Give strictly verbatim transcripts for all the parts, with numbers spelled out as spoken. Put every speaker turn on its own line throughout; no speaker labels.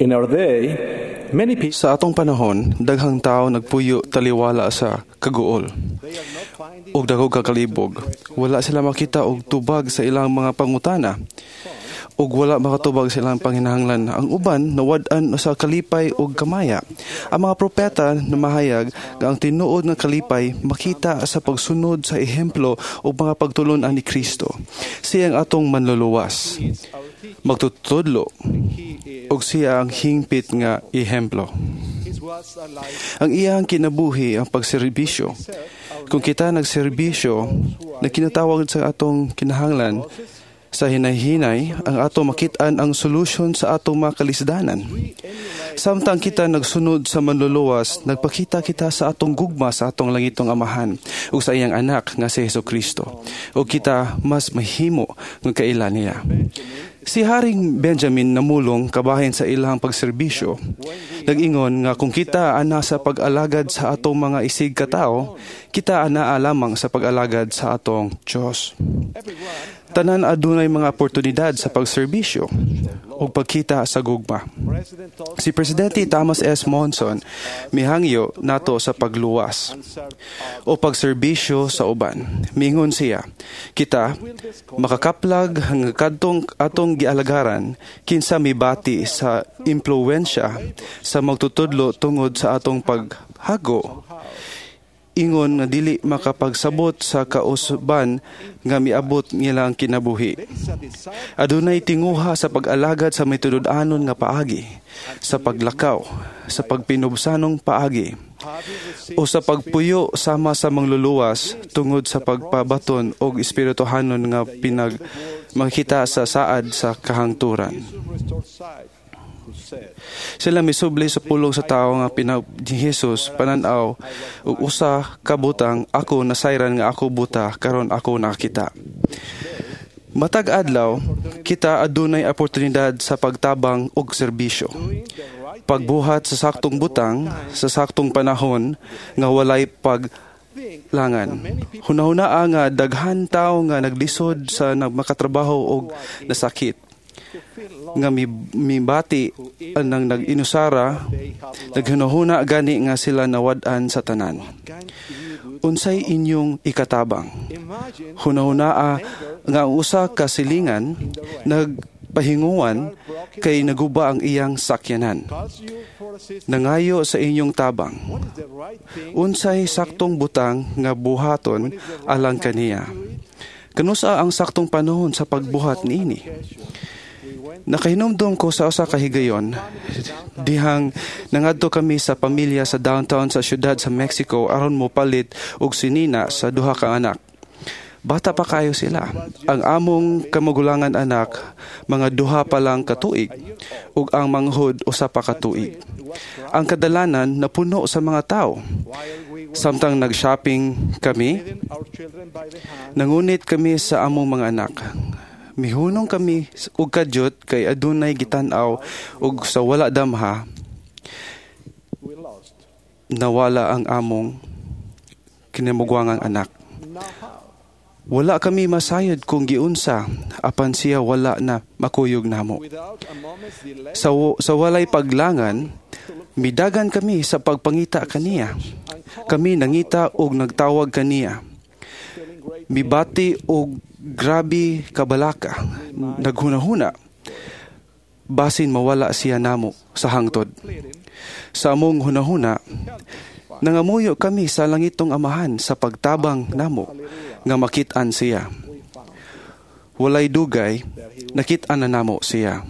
In our day, many people
Sa atong panahon, daghang tao nagpuyo taliwala sa kaguol ug dagog kakalibog. Wala sila makita og tubag sa ilang mga pangutana ug wala makatubag sa ilang panginahanglan. Ang uban nawad-an sa kalipay ug kamaya. Ang mga propeta namahayag nga ang tinuod nga kalipay makita sa pagsunod sa ehemplo ug mga pagtulon-an ni Kristo. Siya ang atong manluluwas. Magtutudlo ug siya ang hingpit nga ehemplo. Ang iyang kinabuhi ang pagserbisyo. Kung kita nagserbisyo, na kinatawag sa atong kinahanglan, sa hinay-hinay, ang ato makit-an ang solusyon sa atong mga kalisdanan. Samtang kita nagsunod sa manluluwas, nagpakita kita sa atong gugma sa atong langitong amahan ug sa iyang anak nga si Hesus Kristo. Ug kita mas mahimo nga kaila niya. Si Haring Benjamin namulong kabahin sa ilang pagserbisyo. Nag-ingon nga kung kita ana sa pag-alagad sa atong mga isig katao, kita ana lamang sa pag-alagad sa atong Diyos. Tanan adunay mga oportunidad sa pagserbisyo ug pagkita sa gugma. Si Presidente Thomas S. Monson mihangyo nato sa pagluwas o pagserbisyo sa uban. Mingon siya, kita makakaplag nga kadtong atong gialagaran kinsa mibati sa impluwensya sa magtutudlo tungod sa atong paghago ingon nga dili makapagsabot sa kausban nga miabot nilang kinabuhi. Adunay tinguha sa pag-alagad sa mitunud-anon nga paagi, sa paglakaw, sa pagpinubsanong paagi, o sa pagpuyo sama sa mangluluwas tungod sa pagpabaton og espirituhanon nga pinag makita sa saad sa kahangturan. Sila misubli sa pulong sa tao nga pina ni Jesus panan-aw ug usa ka butang ako nasayran nga ako buta karon ako nakakita. Matag adlaw kita adunay oportunidad sa pagtabang og serbisyo. Pagbuhat sa saktong butang sa saktong panahon nga walay paglangan. Hunahunaa nga daghan tawo nga naglisod sa makatrabaho og nasakit nga mi, mibati anang nag-inusara naghunahuna gani nga sila nawad-an sa tanan. Unsay inyong ikatabang? Hunahunaa nga ang usa ka silingan nagpahinguan kay naguba ang iyang sakyanan. Nangayo sa inyong tabang. Unsay saktong butang nga buhaton alang kaniya? Kanusa ang saktong panahon sa pagbuhat niini? Nakahinumdum ko sa usa ka higayon dihang nangadto kami sa pamilya sa downtown sa syudad sa Mexico aron mopalit og sinina sa duha ka anak. Bata pa kayo sila. Ang among kamagulangan anak mga duha pa lang katuig ug ang manghod usa pa ka tuig. Ang kadalanan napuno sa mga tao. Samtang nag-shopping kami, nangunit kami sa among mga anak. Mihunong kami og kadyot kay adunay gitan-aw ug sa wala damha nawala ang among kinamugwangang anak. Wala kami masayod kung giunsa apan siya wala na makuyog namo. Sa, sa walay paglangan, midagan kami sa pagpangita kaniya. Kami nangita og nagtawag kaniya. Mibati og grabe kabalaka, naghunahuna, basin mawala siya namo sa hangtod. Sa among hunahuna, nangamuyo kami sa langitong amahan sa pagtabang namo nga makit-an siya. Walay dugay, nakit-an na namo siya.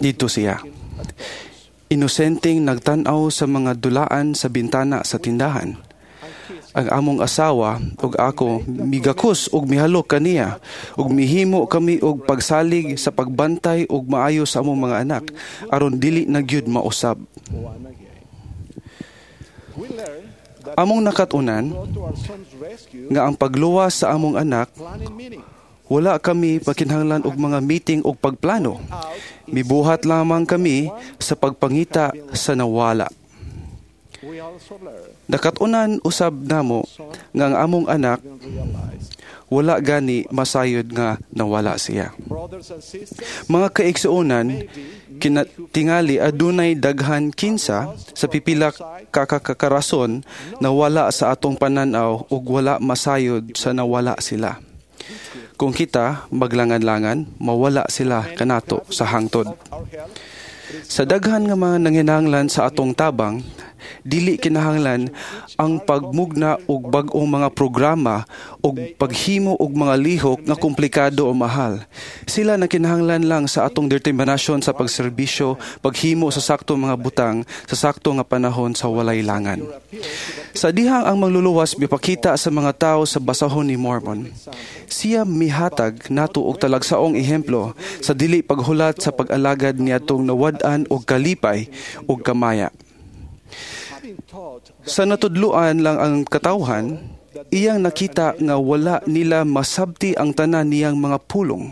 Dito siya. Inosenteng nagtan-aw sa mga dulaan sa bintana sa tindahan. Ang among asawa ug ako migakos ug mihalok kaniya ug mihimo kami og pagsalig sa pagbantay ug maayo sa among mga anak aron dili na gyud mausab. Among nakat-unan nga ang pagluwas sa among anak wala kami pakinahanglan og mga meeting og pagplano. Mibuhat lamang kami sa pagpangita sa nawala. Nakat-unan usab namo nga ang among anak Wala gani masayod nga nawala siya.
Brothers and sisters,
Mga kaigsuonan, kinatingali adunay daghan kinsa sa pipila kakakarason nawala sa atong pananaw ug wala masayod sa nawala sila. Kung kita maglangan-langan, mawala sila kanato sa hangtod.
our help
Sa daghan nga mga nanginahanglan sa atong tabang, dili kinahanglan ang pagmugna og bag-ong mga programa og paghimo og mga lihok nga komplikado o mahal. Sila nakinahanglan lang sa atong determinasyon sa pagserbisyo, paghimo sa sakto mga butang sa sakto nga panahon sa walay langan. Sa dihang ang mangluluwas mipakita sa mga tao sa basahon ni Mormon, siya mihatag nato og talagsaong ehemplo sa dili paghulat sa pag-alagad niadtong nawad-an og kalipay ug kamaya.
having taught
Sa natudluan lang ang katawhan, iyang nakita nga wala nila masabti ang tanan niyang mga pulong.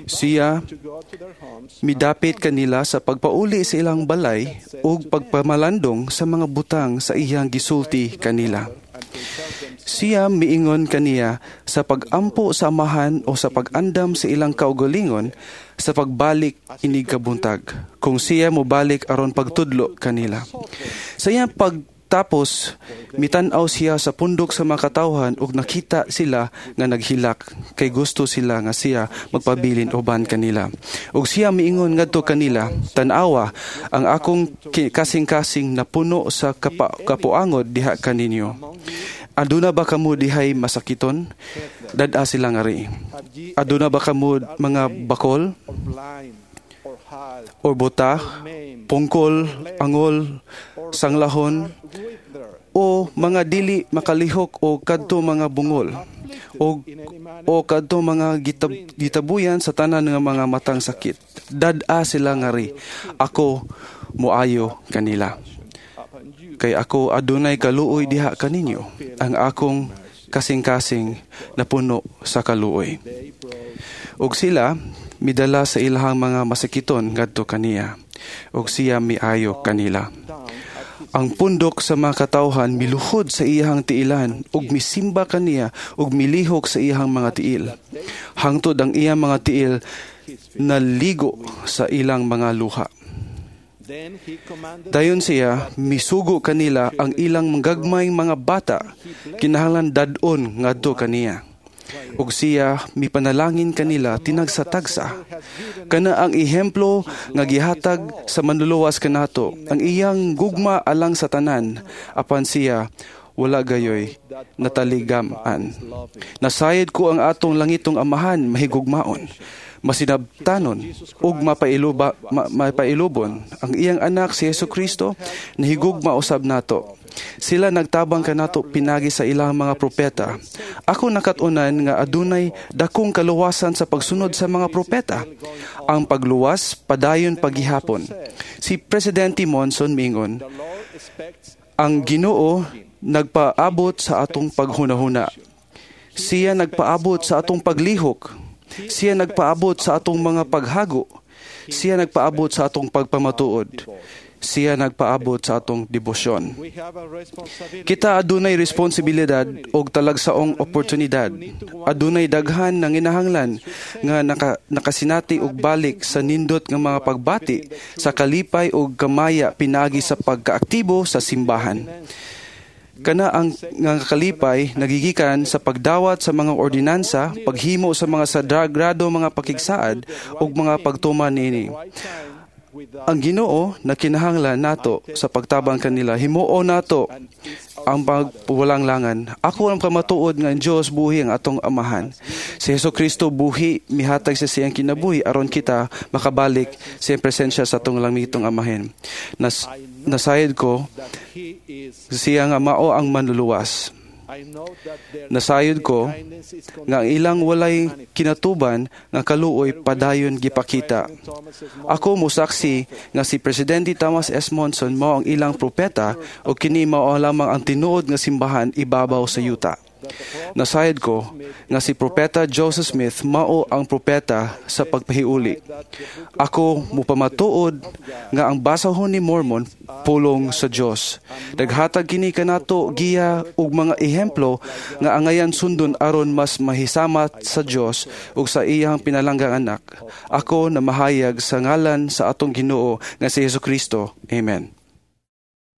Siya
to go to their homes
midapit kanila sa pagpauli sa ilang balay ug pagpamalandong sa mga butang sa iyang gisulti kanila.
and compel them
Siya miingon kaniya sa pagampo sa amahan o sa pag-andam sa ilang kaugalingon sa pagbalik inig kabuntag. Kung siya mobalik aron pagtudlo kanila. Sa iyang pagtapos, mitan-aw siya sa pundok sa mga katawhan ug nakita sila nga naghilak kay gusto sila nga siya magpabilin uban kanila. Ug siya miingon ngadto kanila, tan-awa ang akong ki- kasing-kasing napuno sa kapa, kapuangod diha kaninyo. Aduna ba kamo dihay masakiton? Dad-a sila ngari.
have ye
Aduna ba kamo mga bakol
or blind or halt
or buta,
maimed
pungkol, angol, sanglahon,
wither
o mga dili makalihok o kadto mga bungol o
in any manner
o kadto mga gitab, gitabuyan sa tanan nga mga matang sakit. Dad-a sila ngari. Ako moayo kanila.
upon you
Kay ako adunay kaluoy diha kaninyo. Ang akong kasing-kasing napuno sa kaluoy.
they brought
Ug sila midala sa ilahang mga masakiton ngadto kaniya. Ug siya miayo kanila.
down at his
Ang pundok sa mga katawhan miluhod sa iyahang tiilan ug misimba kaniya ug milihok sa iyahang mga tiil. Hangtod ang iyang mga tiil naligo sa ilang mga luha.
then he commanded
Dayon siya misugo kanila ang ilang gagmayng mga bata kinahanglan dad-on ngadto kaniya. Ug siya mipanalangin kanila tinagsa-tagsa. Kana ang ehemplo nga gihatag sa manluluwas kanato, ang iyang gugma alang sa tanan, apan siya wala gayoy nataligam-an. Nasayod ko ang atong langitong amahan mahigugmaon, masinabtanon ug mapailuba, ma, mapailubon ang iyang anak si Hesus Kristo nahigugma usab nato. Sila nagtabang kanato pinagi sa ilang mga propeta. Ako nakat-unan nga adunay dakong kaluwasan sa pagsunod sa mga propeta. Ang pagluwas padayon paghihapon. Si Presidente Monson mingon,
the Lord expects
ang Ginoo nagpaabot sa atong paghunahuna. Siya nagpaabot sa atong paglihok. Siya nagpaabot sa atong mga paghago. Siya nagpaabot sa atong pagpamatuod. Siya nagpaabot sa atong debosyon.
we have a responsibility
Kita adunay responsibilidad og talagsaong oportunidad. Adunay daghan nang inahanglan nga naka, nakasinati og balik sa nindot nga mga pagbati sa kalipay og kamaya pinagi sa pagkaaktibo sa simbahan. Kana ang nga kalipay nagigikan sa pagdawat sa mga ordinansa, paghimo sa mga sagrado mga pakigsaad ug mga pagtuman niini.
right time without
Ang Ginoo na kinahanglan nato sa pagtabang kanila, himuo nato ang pagwalang langan. Ako ang kamatuod nga ang Dios buhi ang atong amahan. Si Hesus Kristo buhi mihatag sa siyang kinabuhi aron kita makabalik sa iyang presensya sa atong langitong amahin. Nas, nasayod ko
that he is
siya nga mao ang manluluwas.
I know that their
Nasayod ko
kindness is
nga ang ilang walay kinatuban nga kaluoy padayon gipakita. Ako mosaksi nga si Presidente Thomas S. Monson mao ang ilang propeta o kini mao lamang ang tinuod nga simbahan ibabaw sa yuta. Nasayod ko nga si Propeta Joseph Smith mao ang propeta sa pagpahiuli. Ako mupamatuod nga ang Basahon ni Mormon pulong sa Dios. Naghatag kini kanato giya ug mga ehemplo nga angayan sundon aron mas mahisamat sa Dios ug sa iyang pinalanggang anak. Ako namahayag sa ngalan sa atong Ginoo nga si Hesukristo. Amen.